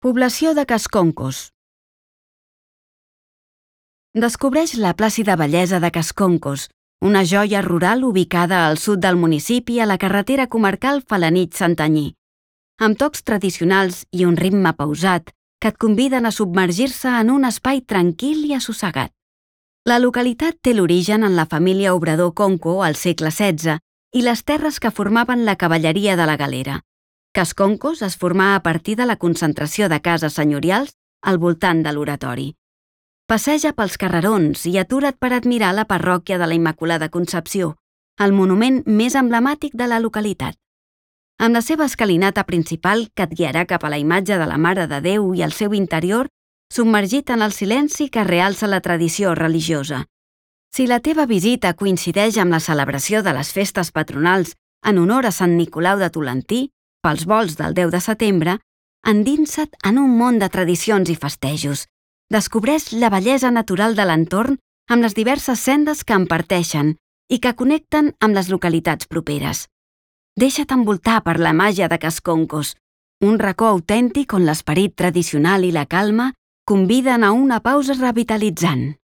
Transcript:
Població de Casconcos. Descobreix la plàcida bellesa de Casconcos, una joia rural ubicada al sud del municipi a la carretera comarcal Felanitx-Santanyí, amb tocs tradicionals i un ritme pausat que et conviden a submergir-se en un espai tranquil i assossegat. La localitat té l'origen en la família obrador Conco al segle XVI i les terres que formaven la cavalleria de la Galera. Casconcos es formà a partir de la concentració de cases senyorials al voltant de l'oratori. Passeja pels carrerons i atura't per admirar la parròquia de la Immaculada Concepció, el monument més emblemàtic de la localitat. Amb la seva escalinata principal que et guiarà cap a la imatge de la Mare de Déu i el seu interior, submergit en el silenci que realça la tradició religiosa. Si la teva visita coincideix amb la celebració de les festes patronals en honor a Sant Nicolau de Tolentí, pels volts del 10 de setembre, endinsa't en un món de tradicions i festejos. Descobreix la bellesa natural de l'entorn amb les diverses sendes que en parteixen i que connecten amb les localitats properes. Deixa't envoltar per la màgia de Casconcos, un racó autèntic on l'esperit tradicional i la calma conviden a una pausa revitalitzant.